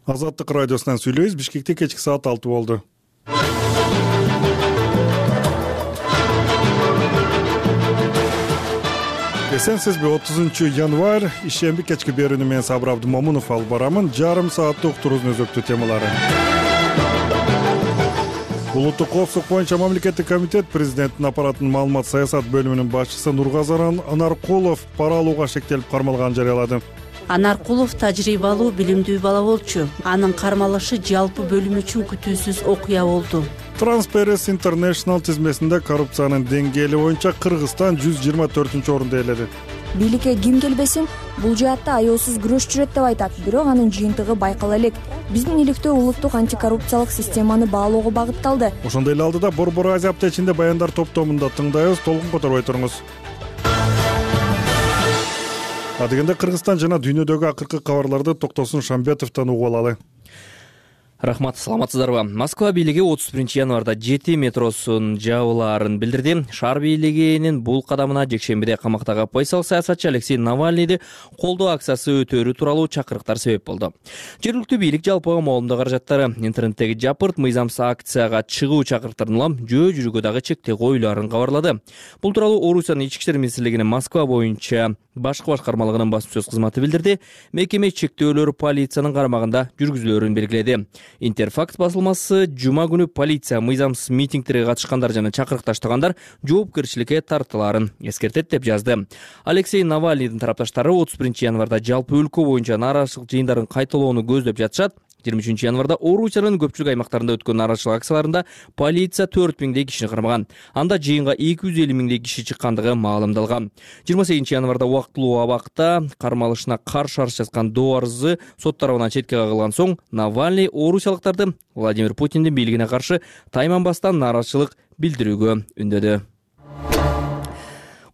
Азаттык радиосунан сүйлөйбүз. Бишкекте кечки саат 6 болду. Эсенсизби 30 январь ишемби кечки берүүнү мен Сабыр Абдымомунов алып барамын. Жарым сааттык уктуруубуздун өзөктүү темалары. Улуттук коопсуздук боюнча мамлекеттик комитет президенттин аппаратынын маалымат саясат бөлүмүнүн башчысы Нургазаран Анаркулов пара алууга шектелип кармалганын жарыялады. Анаркулов тажрыйбалуу, билимдүү бала болчу. Анын кармалышы жалпы бөлүм үчүн күтүүсүз окуя болду. Transparency International тизмесинде коррупциянын деңгээли боюнча Кыргызстан 124-орунду ээледи. Бийликке ким келбесин, бул жаатта аеосуз күрөш жүрөт деп айтат, бирок анын жыйынтыгы байкала элек. Биздин иликтөө улуттук антикоррупциялык системаны баалоого багытталды. Ошондой эле алдыда Борбор Азия аптечинде баяндар топтомунда тыңдайбыз, толкун которбой туруңуз. Адегенде Кыргызстан жана дүйнөдөгү акыркы кабарларды Токтосун Шамбетовдон угуп алалы. Рахмат, саламатсыздарбы? Москва бийлиги 31 январда 7 метросун жабылаарын билдирди. Шаар бийлигинин бул кадамына жекшембиде камактагы оппозициялык саясатчы Алексей Навальныйды колдоо акциясы өтөөрү тууралуу чакырыктар себеп болду. Жергиликтүү бийлик жалпы моомдоо каражаттары интернеттеги жапырт мыйзамсыз акцияга чыгуу чакырыктарын улам жөө жүрүүгө дагы чектөө коюлаарын кабарлады. Бул тууралуу Орусиянын ички иштер министрлигинин Москва боюнча башкы башкармалыгынын басма-сөз кызматы билдирди. Мекеме чектөөлөр полициянын карамагында жүргүзүлөөрүн белгиледи. Интерфакт басылмасы жума күнү полиция мыйзамсыз митингтерге катышкандар жана чакырык таштагандар жоопкерчиликке тартылаарын эскертет деп жазды. Алексей Навальныйдын тарапташтары 31 январда жалпы өлкө боюнча нааразычылык жыйындарын кайталоону көздөп жатышат. 23 январда Орусиянын көпчүлүк аймактарында өткөн нааразычылык акцияларында полиция 4000 кишини кармаган. Анда жыйынга 250 000 киши чыккандыгы маалымдалган. 28 январда убактылуу абакта кармалышына каршы арыз жазган доо арызы сот тарабынан четке кагылган соң Навальный орусиялыктарды Владимир Путиндин бийлигине каршы тайманбастан нааразычылык билдирүүгө үндөдү.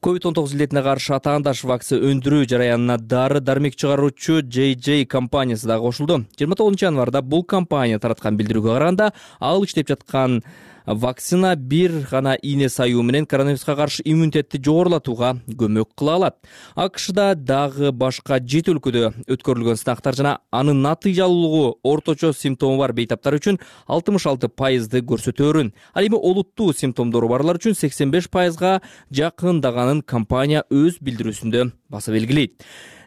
COVID-19 илдетине каршы атаандаш вакцина өндүрүү жараянына дары-дармек чыгаруучу JJ компаниясы да кошулду. 29 январда бул компания тараткан билдирүүгө караганда, ал иштеп жаткан вакцина бир гана ийне саюу менен коронавируска каршы иммунитетти жогорулатууга көмөк кыла алат. АКШда дагы башка 7 өлкөдө өткөрүлгөн сынактар жана анын натыйжалуулугу орточо симптому бар бейтаптар үчүн 66% көрсөтөөрүн. Ал эми олуттуу симптомдору барлар үчүн 85%га жакындаганын компания өз билдирүүсүндө баса белгилейт.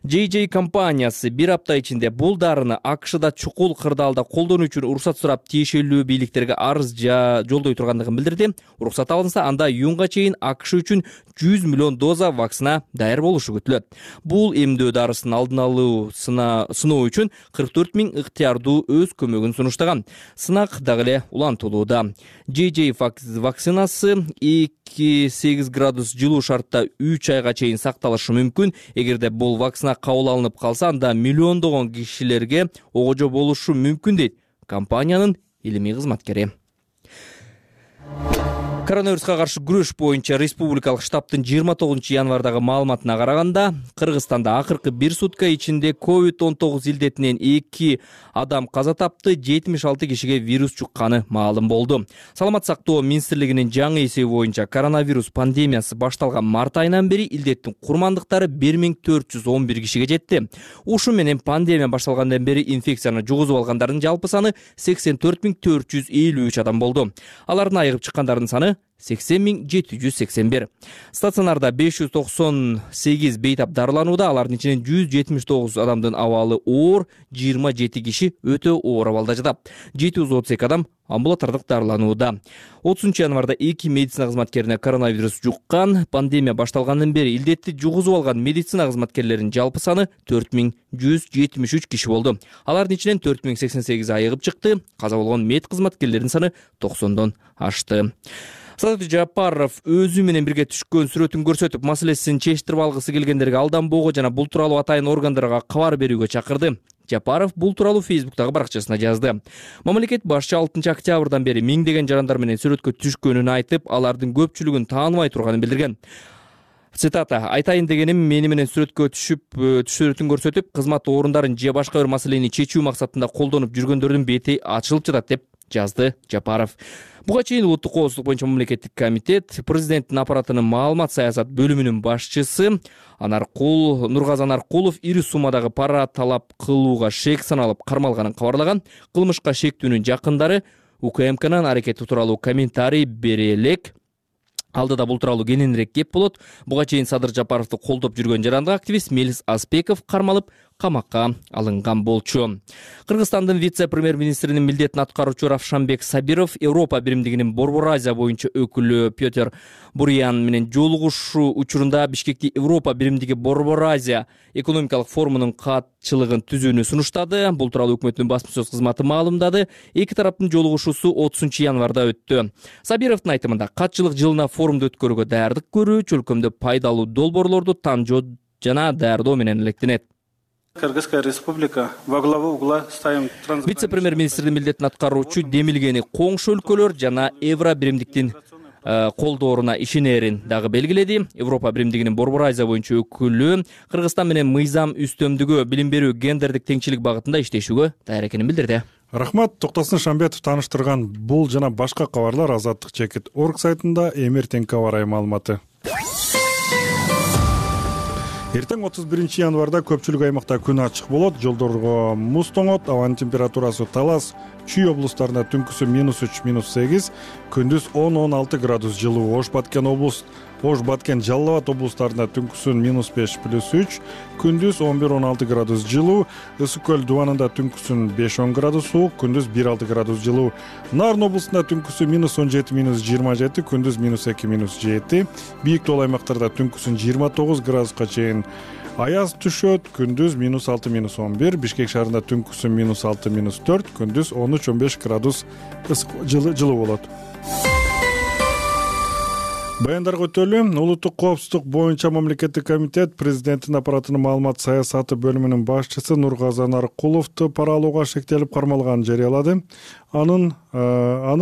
JJ компаниясы бир апта ичинде бул дарыны АКШда чукул кырдаалда колдонуу үчүн уруксат сурап тиешелүү бийликтерге арыз жолдой тургандыгын билдирди. Уруксат алынса, анда июнга чейин АКШ үчүн 100 миллион доза вакцина даяр болушу күтүлөт. Бул эмдөө дарысын алдын алуу сыноо үчүн 44 000 ыктыярдуу өз көмөгүн сунуштаган. Сынак дагы эле улантылууда. JJ вакцинасы 2-8 градус жылуу шартта 3 айга чейин сакталышы мүмкүн. Эгерде бул вакцина кабыл алынып калса, анда миллиондогон кишилерге огожо болушу мүмкүн дейт компаниянын илимий кызматкери. Коронавируска каршы күрөш боюнча республикалык штабтын 29 январдагы маалыматына караганда, Кыргызстанда акыркы бир сутка ичинде COVID-19 илдетинен 2 адам каза тапты, 76 кишиге вирус жукканы маалым болду. Саламат сактоо министрлигинин жаңы эсеби боюнча коронавирус пандемиясы башталган март айынан бери илдеттин курмандыктары 1411 кишиге жетти. Ушу менен пандемия башталгандан бери инфекцияны жугузуп алгандардын жалпы саны 84 453 адам болду. Алардын айыгып чыккандардын саны 80 781. Стационарда 598 бейтап дарыланууда, алардын ичинен 179 адамдын абалы оор, 27 киши өтө оор абалда жатат. 732 адам амбулатордук дарыланууда. 30 январда 2 медицина кызматкерине коронавирус жуккан. Пандемия башталгандан бери илдетти жугузуп алган медицина кызматкерлеринин жалпы саны 4173 киши болду. Алардын ичинен 4088 айыгып чыкты. Каза болгон мед кызматкерлеринин саны 90дон ашты. Садыр Жапаров өзү менен бирге түшкөн сүрөтүн көрсөтүп, маселесин чечтирип алгысы келгендерге алданбоого жана бул тууралуу атайын органдарга кабар берүүгө чакырды. Жапаров бул тууралуу Фейсбуктагы баракчасына жазды. Мамлекет башчы 6 октябрдан бери миңдеген жарандар менен сүрөткө түшкөнүн айтып, алардын көпчүлүгүн тааныбай турганын билдирген. Цитата: "Айтайын дегеним, мени менен сүрөткө түшүп, сүрөтүн көрсөтүп, кызмат орундарын же башка бир маселени чечүү максатында колдонуп жүргөндөрдүн бети ачылып жатат" деп жазды Жапаров. Буга чейин улуттук коопсуздук боюнча мамлекеттик комитет президенттин аппаратынын маалымат саясат бөлүмүнүн башчысы Нургазы Анаркулов ири суммадагы пара талап кылууга шек саналып кармалганын кабарлаган. Кылмышка шектүүнүн жакындары УКМКнын аракети тууралуу комментарий бере элек. Алдыда бул тууралуу кененирээк кеп болот. Буга чейин Садыр Жапаровду колдоп жүргөн жарандык активист Мелис Аспеков кармалып камакка алынган болчу. Кыргызстандын вице-премьер-министринин милдетин аткаруучу Равшанбек Сабиров Европа биримдигинин Борбор Азия боюнча өкүлү Петр Бурян менен жолугушуу учурунда Бишкекти Европа биримдиги Борбор Азия экономикалык форумунун катчылыгын түзүүнү сунуштады. Бул тууралуу өкмөттүн басма сөз кызматы маалымдады. Эки тараптын жолугушуусу 30-январда өттү. Сабировдун айтымында катчылык жылына форумду өткөрүүгө даярдык көрүү, чөлкөмдө пайдалуу долбоорлорду танжоо жана даярдоо менен электенет. Кыргызская республика во главу угла ставим вице-премьер-министрдин милдетин аткаруучу демилгени коңшу өлкөлөр жана Евро биримдиктин колдооруна ишенерин дагы белгиледи. Европа биримдигинин Борбор Азия боюнча өкүлү Кыргызстан менен мыйзам үстөмдүгү, билим берүү, гендердик теңчилик багытында иштешүүгө даяр экенин билдирди. Рахмат. Токтосын Шамбетов тааныштырган бул жана башка кабарлар Азаттык.org сайтында эмертеңки аба ырайы маалыматы. Эртең 31-январда көпчүлүк аймакта күн ачык болот, жолдорго муз тоңот, абанын температурасы Талас, Чүй облустарында түнкүсү -3, -8, күндүз 10-16 градус жылуу. Ош Баткен, Жалал Абад облустарында түнкүсүн -5 +3, күндүз 11-16 градус жылуу. Ысык көл дубанында түнкүсүн 5-10 градус суук, күндүз 1-6 градус жылуу. Нарын облустунда түнкүсү -17 -27, күндүз -2 -7. Бийик тоо аймактарда түнкүсүн 29 градуска чейин аяз түшөт, күндүз -6 -11. Бишкек шаарында түнкүсүн -6 -4, күндүз 13-15 градус жылуу болот. Баяндарга өтөлү. Улуттук коопсуздук боюнча мамлекеттик комитет президенттин аппаратынын маалымат саясаты бөлүмүнүн башчысы Нургазы Анаркуловду пара алууга шектелип кармалганын жарыялады. Аны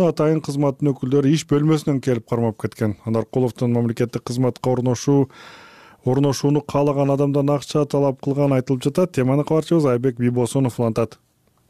атайын кызматтын өкүлдөрү иш бөлмөсүнөн келип кармап кеткен. Анаркуловдун мамлекеттик кызматка орношууну каалаган адамдан акча талап кылганы айтылып жатат. Теманы кабарчыбыз Айбек Бийбосунов улантат.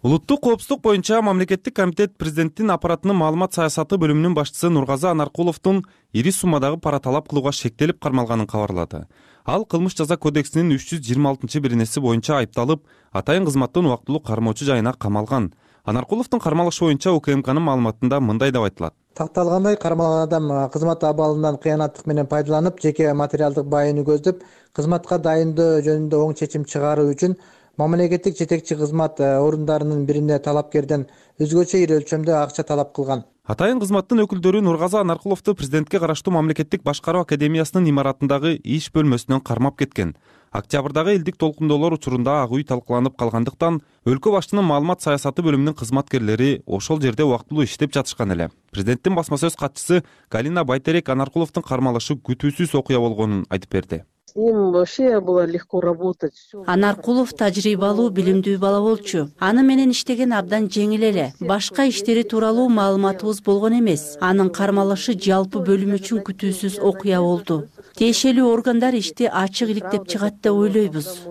Улуттук коопсуздук боюнча мамлекеттик комитет президенттин аппаратынын маалымат саясаты бөлүмүнүн башчысы Нургазы Анаркуловдун ири суммадагы пара талап кылууга шектелип кармалганын кабарлады. Ал кылмыш жаза кодексинин 326-беренеси боюнча айыпталып, атайын кызматтан убактылуу кармоочу жайына камалган. Анаркуловдун кармалышы боюнча УКМКнын маалыматында мындай деп айтылат. Такталгандай, кармалган адам кызмат абалынан кыянаттык менен пайдаланып, жеке материалдык байыны көздөп, кызматка дайындоо жөнүндө оң чечим чыгаруу үчүн мамлекеттик жетекчи кызмат орундарынын бирине талапкерден өзгөчө ири өлчөмдө акча талап кылган. Атайын кызматтын өкүлдөрү Нургазы Анаркуловду президентке караштуу мамлекеттик башкаруу академиясынын имаратындагы иш бөлмөсүнөн кармап кеткен. Октябрдагы элдик толкундоолор учурунда ак үй талкууланып калгандыктан өлкө башчынын маалымат саясаты бөлүмүнүн кызматкерлери ошол жерде убактылуу иштеп жатышкан эле. Президенттин басма сөз катчысы Галина Байтерек Анаркуловдун кармалышы күтүүсүз окуя болгонун айтып берди. С ним вообще было легко работать. Анаркулов тажрыйбалуу, билимдүү бала болчу. Аны менен иштеген абдан жеңил эле. Башка иштери тууралуу маалыматыбыз болгон эмес. Анын кармалышы жалпы бөлүм үчүн күтүүсүз окуя болду. Тиешелүү органдар ишти ачык иликтеп чыгат деп ойлойбуз.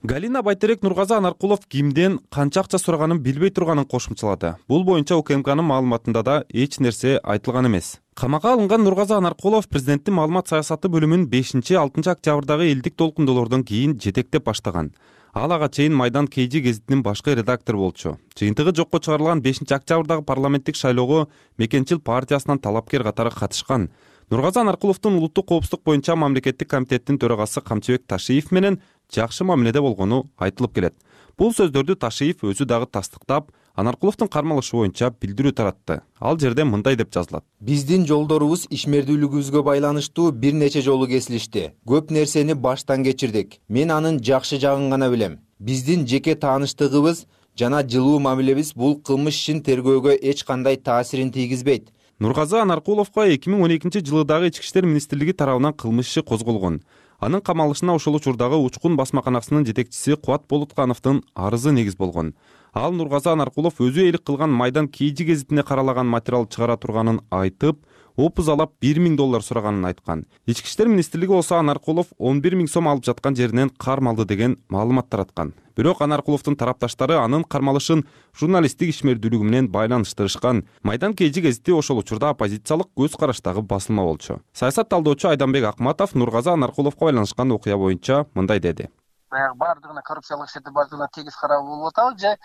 Галина Байтерек Нургазы Анаркулов кимден канча акча сураганын билбей турганын кошумчалады. Бул боюнча УКМКнын маалыматында да эч нерсе айтылган эмес. Камакка алынган Нургазы Анаркулов президенттин маалымат саясаты бөлүмүн 5-6 октябрдагы элдик толкундоолордон кийин жетектеп баштаган. Ал ага чейин Майдан КЖ гезитинин башкы редактору болчу. Жыйынтыгы жокко чыгарылган 5-октябрдагы парламенттик шайлоого Мекенчил партиясынан талапкер катары катышкан. Нургазы Анаркуловдун улуттук коопсуздук боюнча мамлекеттик комитеттин төрагасы Камчыбек Ташиев менен жакшы мамиледе болгону айтылып келет. Бул сөздөрдү Ташиев өзү дагы тастыктап, Анаркуловдун кармалышы боюнча билдирүү таратты. Ал жерде мындай деп жазылат. Биздин жолдорубуз ишмердүүлүгүбүзгө байланыштуу бир нече жолу кесилишти. Көп нерсени баштан кечирдик. Мен анын жакшы жагын гана билем. Биздин жеке тааныштыгыбыз жана жылуу мамилебиз бул кылмыш ишин тергөөгө эч кандай таасирин тийгизбейт. Нургазы Анаркуловго 2012-жылы дагы Ички иштер министрлиги тарабынан кылмыш иши козголгон. Анын камалышына ошол учурдагы Учкун басмаканасынын жетекчиси Кубат Болуткановдун арызы негиз болгон. Ал Нургазы Анаркулов өзүээлик кылган Майдан КЖ гезитине каралаган материал чыгара турганын айтып, опузалап $1.000 сураганын айткан. Ички иштер министрлиги болсо Анаркулов 11 000 сом алып жаткан жеринен кармалды деген маалымат тараткан. Бирок Анаркуловдун тарапташтары анын кармалышын журналисттик ишмердүүлүгү менен байланыштырышкан. Майдан Кежи гезити ошол учурда оппозициялык көз караштагы басылма болчу. Саясат талдоочу Айданбек Акматов Нургазы Анаркуловго байланышкан окуя боюнча мындай деди. Бардыгына коррупциялык иштерди бардыгына тегиз карап болуп атабы же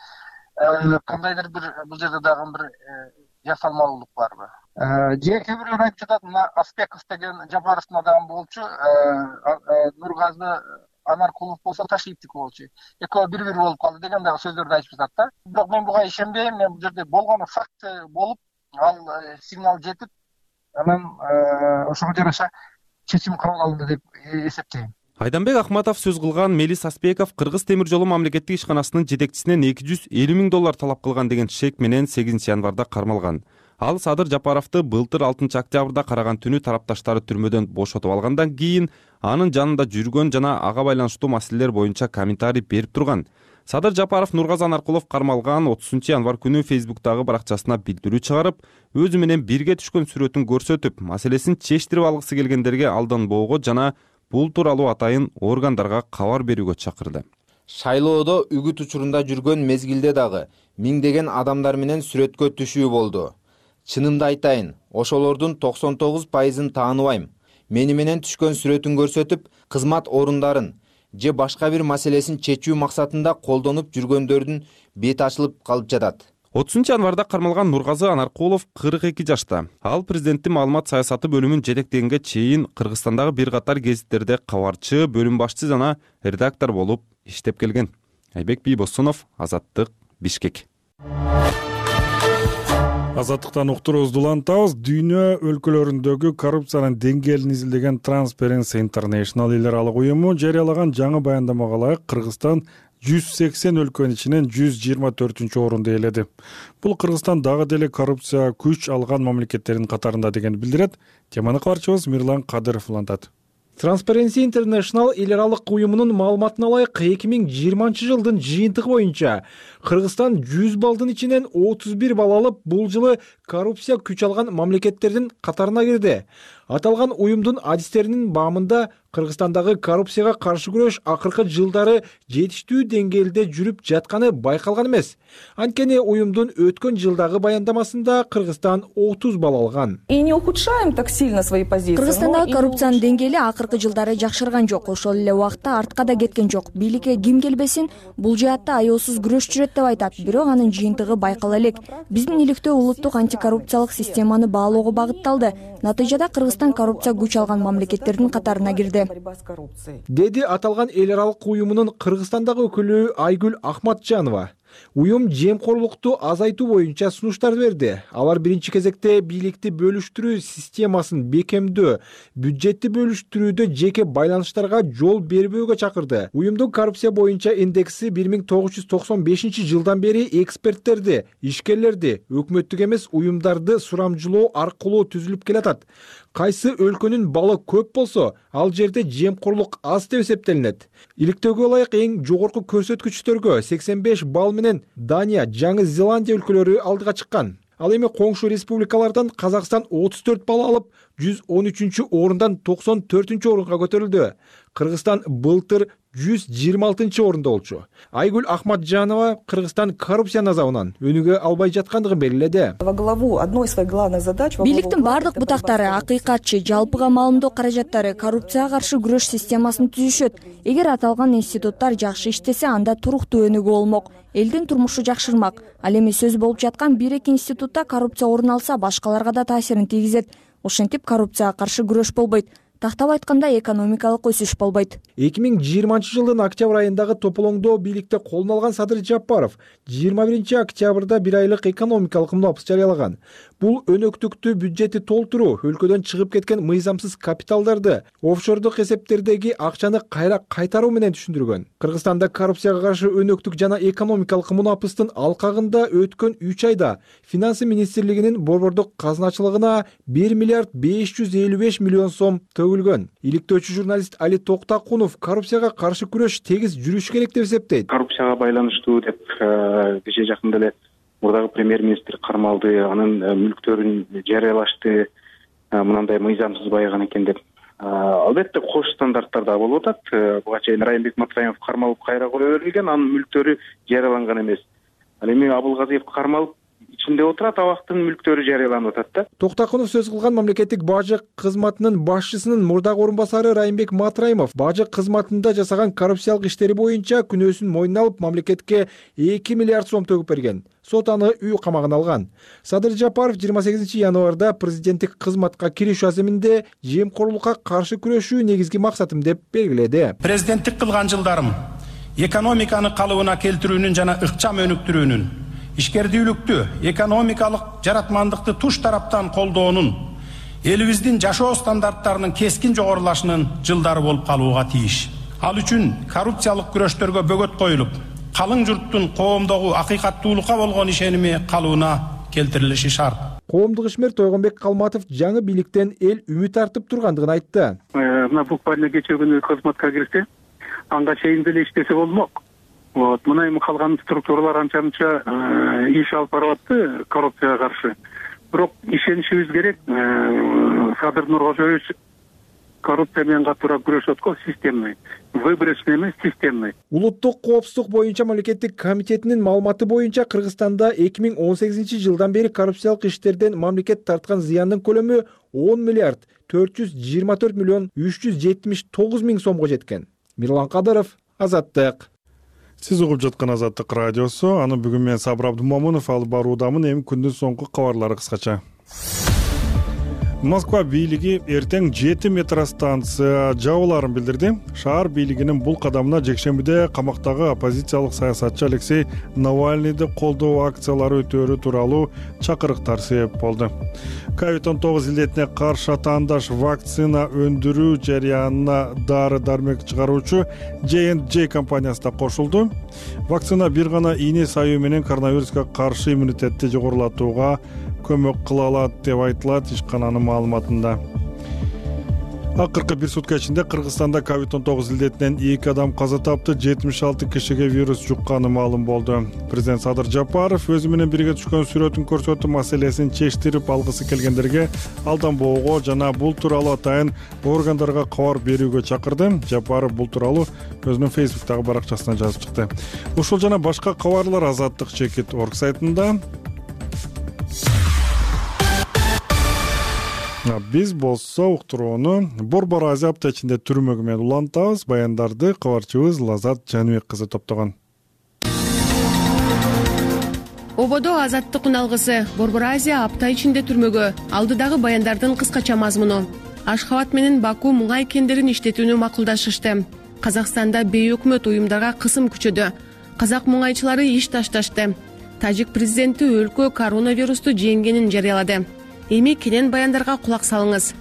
кандайдыр бир бул жерде дагы бир жасалмалуулук барбы? Же кээ бирлер айтып жатат, мына Аспеков деген Жапаровдун адамы болчу, Нургазы Анаркулов болсо Ташиевдики болчу. Экөө бири болуп калды деген дагы сөздөрдү айтып жатат да. Бирок мен буга ишенбейм. Мен бул жерде болгону факт болуп, ал сигнал жетип, анан ошого жараша чечим кабыл алынды деп эсептейм. Айданбек Акматов сөз кылган Мелис Аспеков Кыргыз темир жолу мамлекеттик ишканасынын жетекчисинен $250 000 талап кылган деген шек менен 8 январда кармалган. Ал Садыр Жапаровду былтыр 6 октябрда караган түнү тарапташтары түрмөдөн бошотуп алгандан кийин анын жанында жүргөн жана ага байланыштуу маселелер боюнча комментарий берип турган. Садыр Жапаров Нургазы Анаркулов кармалган 30 январ күнү Фейсбуктагы баракчасына билдирүү чыгарып, өзү менен бирге түшкөн сүрөтүн көрсөтүп, маселесин чечтирип алгысы келгендерге алданбоого жана бул тууралуу атайын органдарга кабар берүүгө чакырды. Шайлоодо үгүт учурунда жүргөн мезгилде дагы миңдеген адамдар менен сүрөткө түшүү болду. Чынымды айтайын, ошолордун 99%-ын тааныбайм. Мени менен түшкөн сүрөтүн көрсөтүп, кызмат орундарын же башка бир маселесин чечүү максатында колдонуп жүргөндөрдүн бети ачылып калып жатат. 30 январда кармалган Нургазы Анаркулов 42 жашта. Ал президенттин маалымат саясаты бөлүмүн жетектегенге чейин Кыргызстандагы бир катар гезиттерде кабарчы, бөлүм башчы жана редактор болуп иштеп келген. Айбек Бийбосунов, Азаттык, Бишкек. Азаттыктан уктуруубузду улантабыз. Дүйнө өлкөлөрүндөгү коррупциянын деңгээлин изилдеген Transparency International эл аралык уюму жарыялаган жаңы баяндамага ылайык Кыргызстан 180 өлкөнүн ичинен 124-орунду ээледи. Бул Кыргызстан дагы деле коррупция күч алган мамлекеттердин катарында деген билдирет. Теманы кабарчыбыз Мирлан Кадыров улантат. Transparency International эл аралык уюмунун маалыматына ылайык 2020 жылдын жыйынтыгы боюнча Кыргызстан 100 балдын ичинен 31 балл алып, бул жылы коррупция күч алган мамлекеттердин катарына кирди. Аталган уюмдун адистеринин баамында Кыргызстандагы коррупцияга каршы күрөш акыркы жылдары жетиштүү деңгээлде жүрүп жатканы байкалган эмес. Анткени уюмдун өткөн жылдагы баяндамасында Кыргызстан 30 балл алган. Кыргызстандагы коррупциянын деңгээли акыркы жылдары жакшырган жок, ошол эле убакта артка да кеткен жок. Бийликке ким келбесин, бул жаатта аеосуз күрөш жүрөт деп айтат, бирок анын жыйынтыгы байкала элек. Биздин иликтөө улуттук антикоррупциялык системаны баалоого багытталды. Натыйжада Кыргызстан коррупция күч алган мамлекеттердин катарына кирди, деди аталган эл аралык уюмунун Кыргызстандагы өкүлү Айгүл Ахматжанова. Уюм жемкорлукту азайтуу боюнча сунуштар берди. Алар биринчи кезекте бийликти бөлүштүрүү системасын бекемдөө, бюджетти бөлүштүрүүдө жеке байланыштарга жол бербөөгө чакырды. Уюмдун коррупция боюнча индекси 1995 жылдан бери эксперттерди, ишкерлерди, өкмөттүк эмес уюмдарды сурамжылоо аркылуу түзүлүп келатат. Кайсы өлкөнүн баллы көп болсо, ал жерде жемкорлук аз деп эсептелинет. Иликтөөгө ылайык эң жогорку көрсөткүчтөргө 85 балл менен Дания, Жаңы Зеландия өлкөлөрү алдыга чыккан. Ал эми коңшу республикалардан Казакстан 34 балл алып, 113-орундан 94-орунга көтөрүлдү. Кыргызстан былтыр 126-орунда болчу. Айгүл Ахматжанова Кыргызстан коррупция азабынан өнүгө албай жаткандыгын белгиледи. Бийликтин бардык бутактары, акыйкатчы, жалпыга маалымдоо каражаттары коррупцияга каршы күрөш системасын түзүшөт. Эгер аталган институттар жакшы иштесе, анда туруктуу өнүгүү болмок, элдин турмушу жакшырмак. Ал эми сөз болуп жаткан 1-2 институтта коррупция орун алса, башкаларга да таасирин тийгизет. Ошентип коррупцияга каршы күрөш болбойт. Тактап айтканда экономикалык өсүш болбойт. 2020 жылдын октябрь айындагы тополоңдо бийликте колуна алган Садыр Жапаров 21 октябрда бир айлык экономикалык мунапыс жарыялаган. Бул өнөктүктү бюджетти толтуруу, өлкөдөн чыгып кеткен мыйзамсыз капиталдарды, офшордук эсептердеги акчаны кайра кайтаруу менен түшүндүргөн. Кыргызстанда коррупцияга каршы өнөктүк жана экономикалык мунапыстын алкагында өткөн 3 айда Финансы министрлигинин борбордук казначылыгына 1 миллиард 555 миллион сом төгүлгөн. Иликтөөчү журналист Али Токтакунов коррупцияга каршы күрөш тегиз жүрүш керек деп эсептейт. Коррупцияга байланыштуу деп кечээ жакында эле мурдагы премьер-министр кармалды, анын мүлктөрүн жарыялашты. мынандай мыйзамсыз байыган экен деп. Албетте кош стандарттар да болуп атат. Буга чейин Райымбек Матраимов кармалып кайра кое берилген, анын мүлктөрү жарыяланган эмес. Ал эми Абылгазиев кармалып ичинде отурат, абактын мүлктөрү жарыяланып атат да. Токтакунов сөз кылган мамлекеттик бажы кызматынын башчысынын мурдагы орун басары Райымбек Матраимов бажы кызматында жасаган коррупциялык иштери боюнча күнөөсүн мойнуна алып мамлекетке 2 миллиард сом төгүп берген. Сот аны үй камагына алган. Садыр Жапаров 28 январда президенттик кызматка киришүү аземинде жемкорлукка каршы күрөшүү негизги максатым деп белгиледи. Президенттик кылган жылдарым экономиканы калыбына келтирүүнүн жана ыкчам өнүктүрүүнүн, ишкердүүлүктү, экономикалык жаратмандыкты туш тараптан колдоонун, элибиздин жашоо стандарттарынын кескин жогорулашынын жылдары болуп калууга тийиш. Ал үчүн коррупциялык күрөштөргө бөгөт коюлуп, калың журттун коомдогу акыйкаттуулукка болгон ишеними калыбына келтирилиши шарт. Коомдук ишмер Тойгонбек Калматов жаңы бийликтен эл үмүт артып тургандыгын айтты. Мына буквально кечээ күнү кызматка кирсе, анга чейин деле иштесе болмок. Мына эми калган структуралар анча-мынча иш алып баратты коррупцияга каршы. Бирок ишенишибиз керек. Садыр Нуркожоевич коррупция менен катуураак күрөшөт го, системный. Выборочный эмес, системный. Улуттук коопсуздук боюнча мамлекеттик комитетинин маалыматы боюнча Кыргызстанда 2018 жылдан бери коррупциялык иштерден мамлекет тарткан зыяндын көлөмү 10 миллиард 424 миллион 379 миң сомго жеткен. Мирлан Кадыров, Азаттык. Сиз угуп жаткан Азаттык радиосу. Аны бүгүн мен Сабыр Абдумомунов алып баруудамын. Эми күндүн соңку кабарлары кыскача. Москва бийлиги эртең 7 метростанция жабыларын билдирди. Шаар бийлигинин бул кадамына жекшембиде камактагы оппозициялык саясатчы Алексей Навальныйды колдоо акциялары өтөөрү тууралуу чакырыктар себеп болду. COVID-19 илдетине каршы атаандаш вакцина өндүрүү жарыянына дары-дармек чыгаруучу J&J компаниясы да кошулду. Вакцина бир гана ийне саюу менен коронавируска каршы иммунитетти жогорулатууга көмөк кыла алат деп айтылат ишкананын маалыматында. Акыркы бир сутка ичинде Кыргызстанда COVID-19 илдетинен 2 адам каза тапты, 76 кишиге вирус жукканы маалым болду. Президент Садыр Жапаров өзү менен бирге түшкөн сүрөтүн көрсөтүп, маселесин чечтирип алгысы келгендерге алданбоого жана бул тууралуу атайын органдарга кабар берүүгө чакырды. Жапаров бул тууралуу өзүнүн Facebook'тагы баракчасына жазып чыкты. Ушул жана башка кабарлар Азаттык.org сайтында. Биз болсо уктурууну Борбор Азия апта ичинде түрмөгү менен улантабыз. Баяндарды кабарчыбыз Лазат Жаныбек кызы топтогон. Ободо Азаттык уналгысы Борбор Азия апта ичинде түрмөгө. Алдыдагы баяндардын кыскача мазмуну. Ашхабад менен Баку муңай кендерин иштетүүнү макулдашышты. Казакстанда бейөкмөт уюмдарга кысым күчөдү. Казак муңайчылары иш ташташты. Тажик президенти өлкө коронавирусту жеңгенин жарыялады. Эми кенен баяндарга кулак салыңыз.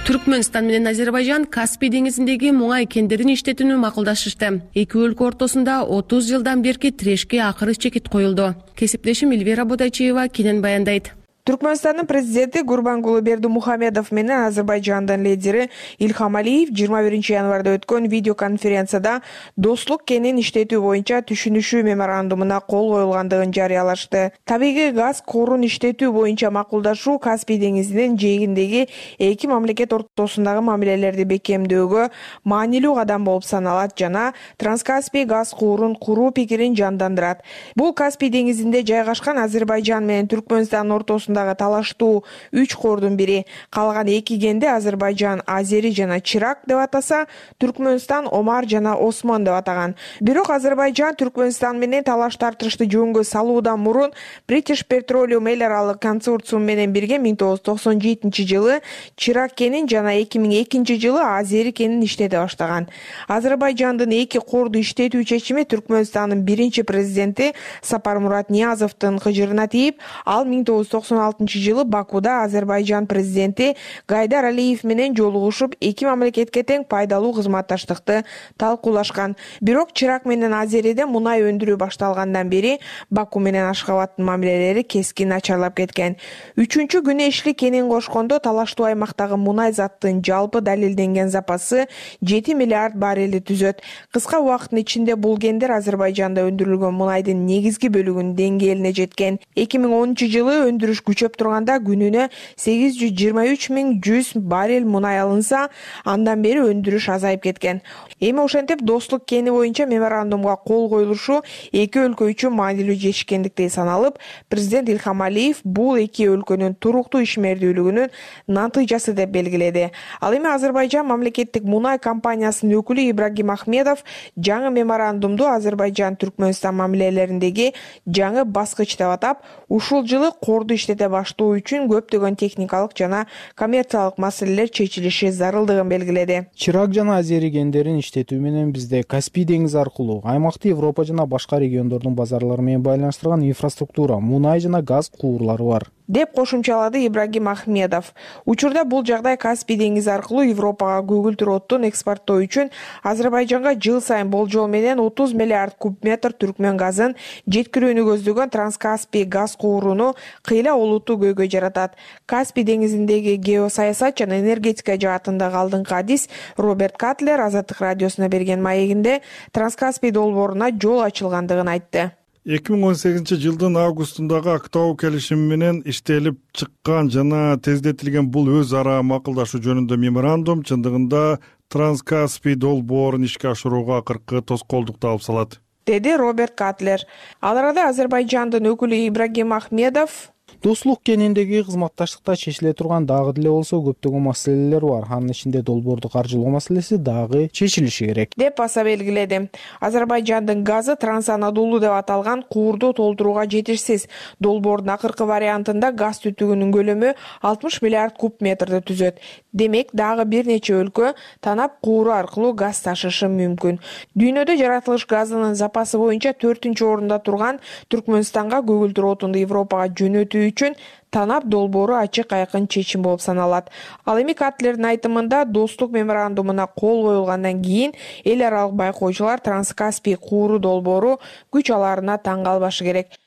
Түркмөнстан менен Азербайжан Каспий деңизиндеги муңай кендерин иштетүүнү макулдашышты. Эки өлкө ортосунда 30 жылдан берки тирешке акыры чекит коюлду. Кесиптешим Эльвира Бодайчиева кенен баяндайт. Түркмөнстандын президенти Гурбангулы Бердимухамедов менен Азербайжандын лидери Ильхам Алиев 21 январда өткөн видеоконференцияда достук кенин иштетүү боюнча түшүнүшүү меморандумуна кол коюлгандыгын жарыялашты. Табигый газ корун иштетүү боюнча макулдашуу Каспий деңизинин жээгиндеги эки мамлекет ортосундагы мамилелерди бекемдөөгө маанилүү кадам болуп саналат жана Транскаспий газ куурун куруу пикирин жандандырат. Бул Каспий деңизинде жайгашкан Азербайжан менен Түркмөнстан ортосунда талаштуу 3 кордун бири. Калган 2 кенди Азербайжан Азери жана Чирак деп атаса, Түркмөнстан Омар жана Осмон деп атаган. Бирок Азербайжан Түркмөнстан менен талаш тартышты жөнгө салуудан мурун British Petroleum эл аралык консорциум менен бирге 1997-жылы Чирак кенин жана 2002-жылы Азери кенин иштете баштаган. Азербайжандын 2 корду иштетүү чечими Түркмөнстандын биринчи президенти Сапармурат Ниязовдун кыжырына тийип, ал 1996 2016-жылы Бакуда Азербайжан президенти Гайдар Алиев менен жолугушуп, эки мамлекетке тең пайдалуу кызматташтыкты талкуулашкан. Бирок Чырак менен Азериде мунай өндүрүү башталгандан бери Баку менен Ашхабадтын мамилелери кескин начарлап кеткен. 3-күнү Эшли кенин кошкондо талаштуу аймактагы мунай заттын жалпы далилденген запасы 7 миллиард баррелди түзөт. Кыска убакыттын ичинде бул кендер Азербайжанда өндүрүлгөн мунайдын негизги бөлүгүнүн деңгээлине жеткен. 2010-жылы өндүрүш күчөп турганда күнүнө 823.100 баррель мунай алынса, андан бери өндүрүш азайып кеткен. Эми ошентип Достук кени боюнча меморандумга кол коюлушу эки өлкө үчүн маанилүү жетишкендиктей саналып, президент Ильхам Алиев бул эки өлкөнүн туруктуу ишмердүүлүгүнүн натыйжасы деп белгиледи. Ал эми Азербайжан мамлекеттик мунай компаниясынын өкүлү Ибрагим Ахмедов жаңы меморандумду Азербайжан-Түркмөнстан мамилелериндеги жаңы баскыч деп атап, ушул жылы корду иштете баштоо үчүн көптөгөн техникалык жана коммерциялык маселелер чечилиши зарылдыгын белгиледи. Чырак жана Азери кендерин иштетүү менен бизде Каспий деңизи аркылуу аймакты Европа жана башка региондордун базарлары менен байланыштырган инфраструктура, мунай жана газ куурлары бар, деп кошумчалады Ибрагим Ахмедов. Учурда бул жагдай Каспий деңизи аркылуу Европага көгүлтүр оттун экспорттоо үчүн Азербайжанга жыл сайын болжол менен 30 миллиард куб метр түркмөн газын жеткирүүнү көздөгөн Транскаспий газ кууруну кыйла олуттуу көйгөй жаратат. Каспий деңизиндеги геосаясат жана энергетика жаатындагы алдыңкы адис Роберт Катлер Азаттык радиосуна берген маегинде Транскаспий долбооруна жол ачылгандыгын айтты. 2018-жылдын августундагы Актау келишими менен иштелип чыккан жана тездетилген бул өз ара макулдашуу жөнүндө меморандум чындыгында Транскаспий долбоорун ишке ашырууга акыркы тоскоолдукту алып салат, деди Роберт Катлер. Ал арада Азербайжандын өкүлү Ибрагим Ахмедов Достук кениндеги кызматташтыкта чечиле турган дагы деле болсо көптөгөн маселелер бар. Анын ичинде долбоорду каржылоо маселеси дагы чечилиши керек, деп баса белгиледи. Азербайжандын газы Транс-Анадолу деп аталган куурду толтурууга жетишсиз. Долбоордун акыркы вариантында газ түтүгүнүн көлөмү 60 миллиард куб метрди түзөт. Демек, дагы бир нече өлкө танап кууру аркылуу газ ташышы мүмкүн. Дүйнөдө жаратылыш газынын запасы боюнча 4-орунда турган Түркмөнстанга көгүлтүр отунду Европага жөнөтүү үчүн танап долбоору ачык айкын чечим болуп саналат. Ал эми Катлердин айтымында достук меморандумуна кол коюлгандан кийин эл аралык байкоочулар Транскаспий кууру долбоору күч алаарына таң калбашы керек.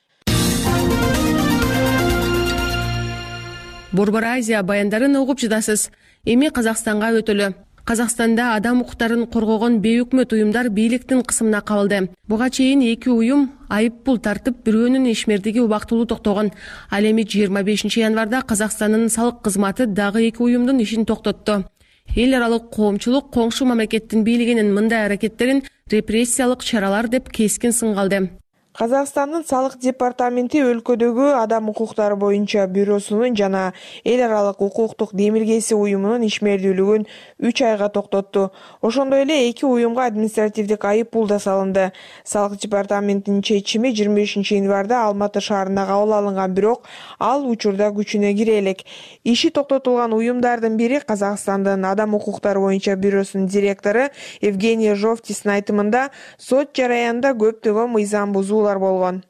Борбор Азия баяндарын угуп жатасыз. Эми Казакстанга өтөлү. Казакстанда адам укуктарын коргогон бейөкмөт уюмдар бийликтин кысымына кабылды. Буга чейин эки уюм айып пул тартып, бирөөнүн ишмердиги убактылуу токтогон. Ал эми 25 январда Казакстандын салык кызматы дагы эки уюмдун ишин токтотту. Эл аралык коомчулук коңшу мамлекеттин бийлигинин мындай аракеттерин репрессиялык чаралар деп кескин сынга алды. Казакстандын салык департаменти өлкөдөгү адам укуктары боюнча бюросунун жана эл аралык укуктук демилгеси уюмунун ишмердүүлүгүн 3 айга токтотту. Ошондой эле эки уюмга административдик айып пул да салынды. Салык департаментинин чечими 25 январда Алматы шаарында кабыл алынган, бирок ал учурда күчүнө кире элек. Иши токтотулган уюмдардын бири Казакстандын адам укуктары боюнча бюросунун директору Евгений Жовтистин айтымында сот жараянында көптөгөн мыйзам бузуулар болгон.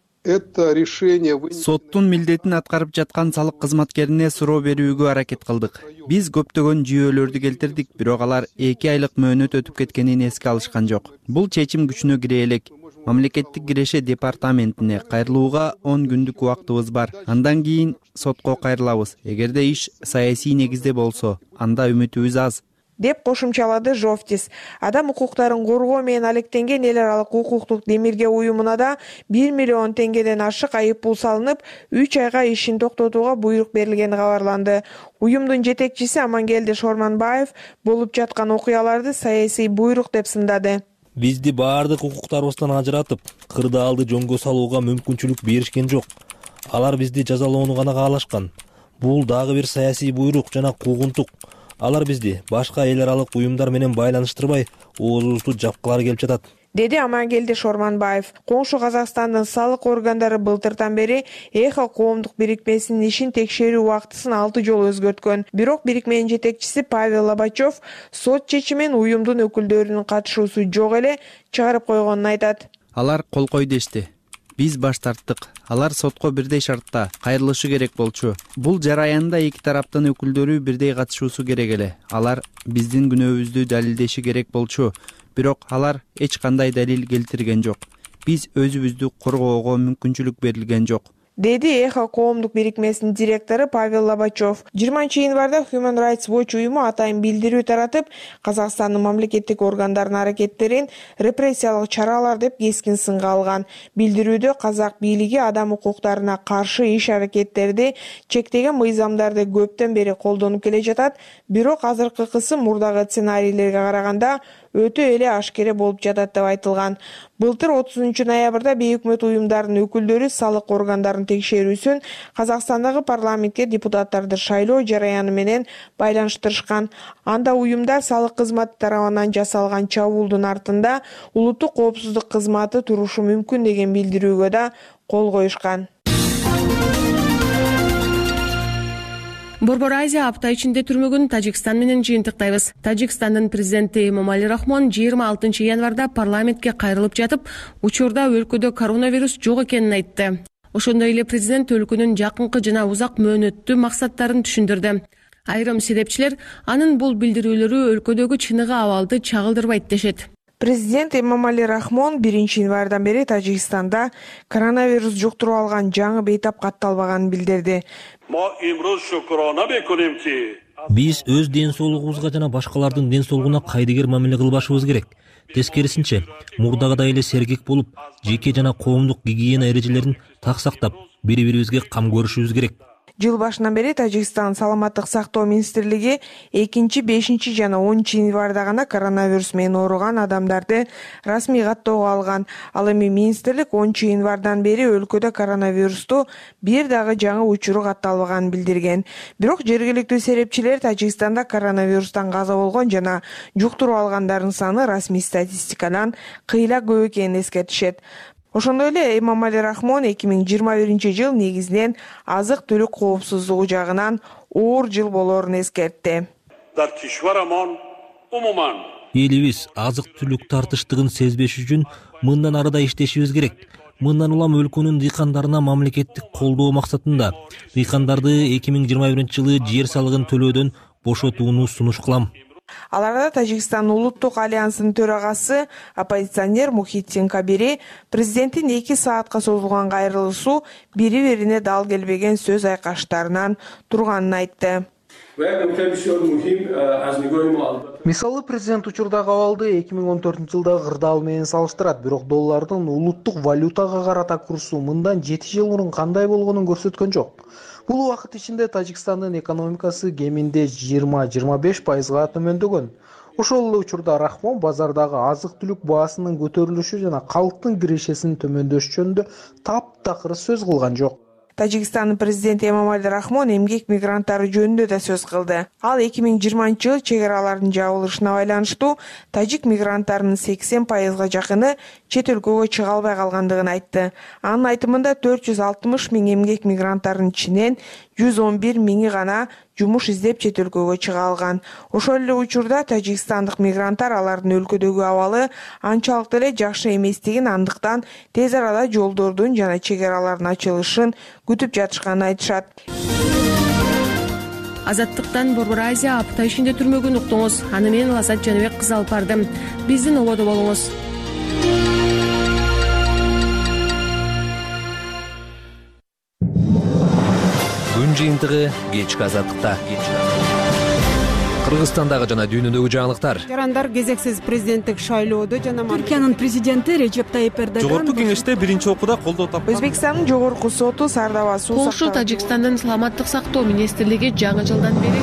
Соттун милдетин аткарып жаткан салык кызматкерине суроо берүүгө аракет кылдык. Биз көптөгөн жүйөлөрдү келтирдик, бирок алар 2 айлык мөөнөт өтүп кеткенин эске алышкан жок. Бул чечим күчүнө кире элек. Мамлекеттик киреше департаментине кайрылууга 10 күндүк убактыбыз бар. Андан кийин сотко кайрылабыз. Эгерде иш саясий негизде болсо, анда үмүтүбүз аз, деп кошумчалады Жовтис. Адам укуктарын коргоо менен алектенген эл аралык укуктук демилге уюмуна да 1 миллион теңгеден ашык айып пул салынып, 3 айга ишин токтотууга буйрук берилгени кабарланды. Уюмдун жетекчиси Амангелди Шорманбаев болуп жаткан окуяларды саясий буйрук деп сындады. Бизди баардык укуктарыбыздан ажыратып, кырдаалды жөнгө салууга мүмкүнчүлүк беришкен жок. Алар бизди жазалоону гана каалашкан. Бул дагы бир саясий буйрук жана куугунтук. Алар бизди башка эл аралык уюмдар менен байланыштырбай, оозубузду жапкылары келип жатат, деди Амангелди Шорманбаев. Коңшу Казакстандын салык органдары былтыртан бери Эхо коомдук бирикмесинин ишин текшерүү убактысын 6 жолу өзгөрткөн. Бирок бирикменин жетекчиси Павел Лобачев сот чечимин уюмдун өкүлдөрүнүн катышуусу жок эле чыгарып койгонун айтат. Алар кол кой дешти. биз баш тарттык. Алар сотко бирдей шартта кайрылышы керек болчу. Бул жараянда эки тараптын өкүлдөрү бирдей катышуусу керек эле. Алар биздин күнөөбүздү далилдеши керек болчу. Бирок алар эч кандай далил келтирген жок. Биз өзүбүздү коргоого мүмкүнчүлүк берилген жок, деди Эхо коомдук бирикмесинин директору Павел Лобачев. 20-январда Human Rights Watch уюму атайын билдирүү таратып, Казакстандын мамлекеттик органдарынын аракеттерин репрессиялык чаралар деп кескин сынга алган. Билдирүүдө казак бийлиги адам укуктарына каршы иш-аракеттерди чектеген мыйзамдарды көптөн бери колдонуп келе жатат, бирок азыркы кысым мурдагы сценарийлерге караганда өтө эле ашкере болуп жатат деп айтылган. Былтыр 30 ноябрда бейөкмөт уюмдарынын өкүлдөрү салык органдарынын текшерүүсүн Казакстандагы парламентке депутаттарды шайлоо жараяны менен байланыштырышкан. Анда уюмдар салык кызматы тарабынан жасалган чабуулдун артында улуттук коопсуздук кызматы турушу мүмкүн деген билдирүүгө да кол коюшкан. Борбор Азия апта ичинде түрмөгүн Тажикстан менен жыйынтыктайбыз. Тажикстандын президенти Эмомали Рахмон 26 январда парламентке кайрылып жатып, учурда өлкөдө коронавирус жок экенин айтты. Ошондой эле президент өлкөнүн жакынкы жана узак мөөнөттүү максаттарын түшүндүрдү. Айрым себепчилер анын бул билдирүүлөрү өлкөдөгү чыныгы абалды чагылдырбайт дешет. Президент Эмомали Рахмон 1-январдан бери Тажикстанда коронавирус жуктуруп алган жаңы бейтап катталбаганын билдирди. Биз өз ден соолугубузга жана башкалардын ден соолугуна кайдыгер мамиле кылбашыбыз керек. Тескерисинче, мурдагыдай эле сергек болуп, жеке жана коомдук гигиена эрежелерин так сактап, бири-бирибизге кам көрүшүбүз керек. Жыл башынан бери Тажикстан саламаттык сактоо министрлиги 2, 5 жана 10 январда гана коронавирус менен ооруган адамдарды расмий каттоого алган. Ал эми министрлик 10 январдан бери өлкөдө коронавирусту бир дагы жаңы учуру катталбаганын билдирген. Бирок жергиликтүү серепчилер Тажикстанда коронавирустан каза болгон жана жуктуруп алгандардын саны расмий статистикадан кыйла көп экенин эскертишет. Ошондой эле Эмомали Рахмон 2021 негизинен азык-түлүк коопсуздугу жагынан оор жыл болоорун эскертти. Элибиз азык-түлүк тартыштыгын сезбеш үчүн мындан арыда иштешибиз керек. Мындан улам өлкөнүн дыйкандарына мамлекеттик колдоо максатында дыйкандарды 2021 жылы жер салыгын төлөөдөн бошотууну сунуш кылам. Аларда Тажикстан улуттук альянсынын төрагасы оппозиционер Мухитдин Кабири президенттин 2 саатка созулган кайрылышуу бири-бирине дал келбеген сөз айкаштарынан турганын айтты. Мисалы, президент учурдагы абалды 2014 жылдагы кырдаал менен салыштырат, бирок доллардын улуттук валютага карата курсу мындан 7 жыл мурун кандай болгонун көрсөткөн жок. Бул убакыт ичинде Тажикстандын экономикасы кеминде 20-25%га төмөндөгөн. Ошол эле учурда Рахмон базардагы азык-түлүк баасынын көтөрүлүшү жана калктын кирешесинин төмөндөшү жөнүндө таптакыр сөз кылган жок. Тажикстандын президенти Эмомали Рахмон эмгек мигранттары жөнүндө да сөз кылды. Ал 2020 жылы чек аралардын жабылышына байланыштуу тажик мигранттарынын 80%га жакыны чет өлкөгө чыга албай калгандыгын айтты. Анын айтымында 460 000 эмгек мигранттарынын ичинен 111 000 гана жумуш издеп чет өлкөгө чыга алган. Ошол эле учурда тажикстандык мигранттар алардын өлкөдөгү абалы анчалык деле жакшы эместигин, андыктан тез арада жолдордун жана чек аралардын ачылышын күтүп жатышканын айтышат. Азаттыктан Борбор Азия апта ичинде түрмөгүн уктуңуз. Аны мен Лазат Жаныбек кызы алып бардым. Биздин ободо болуңуз. Күн жыйынтыгы кечки азаттыкта. Кыргызстандагы жана дүйнөдөгү жаңылыктар. Жарандар кезексиз президенттик шайлоодо жана Түркиянын президенти Режеп Тайип Эрдоган Жогорку кеңеште биринчи окууда колдоо тапкан. Өзбекстандын жогорку соту Сардава суу Польша Тажикстандын саламаттык сактоо министрлиги жаңы жылдан бери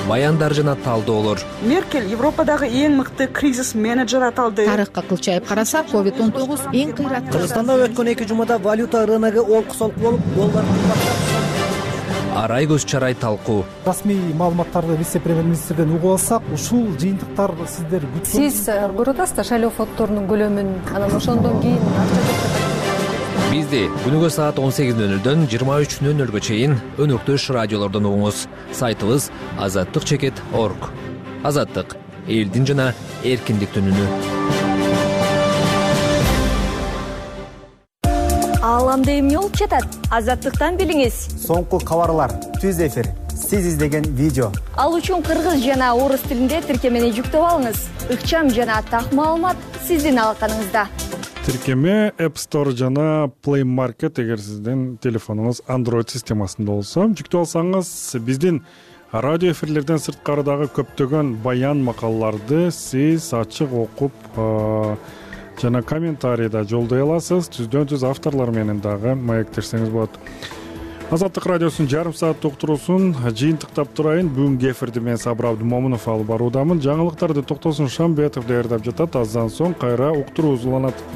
баяндар жана талдоолор. Меркель Европадагы эң мыкты кризис менеджер аталды. Тарыхка кылчайып карасак, COVID-19 эң кыйраттуу. Кыргызстанда өткөн 2 жумада валюта рыногу олку-солку болуп, доллар Арай көз чарай талкуу. Расмий маалыматтарды вице-премьер-министрден угуп алсак, ушул жыйынтыктар сиздер күткөн. Сиз көрүп атасыздар шайлоо фонддорунун көлөмүн, анан ошондон кийин Бизди күнүгө саат 18:00дөн 23:00га чейин өнөктөш радиолордон угуңуз. Сайтыбыз azattik.org. Азаттык — элдин жана эркиндиктин үнү. бааламда эмне болуп жатат? Азаттыктан билиңиз. Соңку кабарлар, түз эфир, сиз издеген видео. Ал үчүн кыргыз жана орус тилинде тиркемени жүктөп алыңыз. Ыкчам жана так маалымат сиздин алаканыңызда. Тиркеме App Store жана Play Market эгер сиздин телефонуңуз Android системасында болсо, жүктөп алсаңыз биздин радио эфирлерден сырткарыдагы көптөгөн баян макалаларды сиз ачык окуп жана комментарийда жолдой аласыз. Түздөн түз авторлор менен дагы маектешсеңиз болот. Азаттык радиосунун жарым сааттык уктуруусун жыйынтыктап турайын. Бүгүнкү эфирди мен Сабыр Абдымомунов алып баруудамын. Жаңылыктарды Токтосун Шамбетов даярдап жатат. Аздан соң кайра уктуруубуз уланат.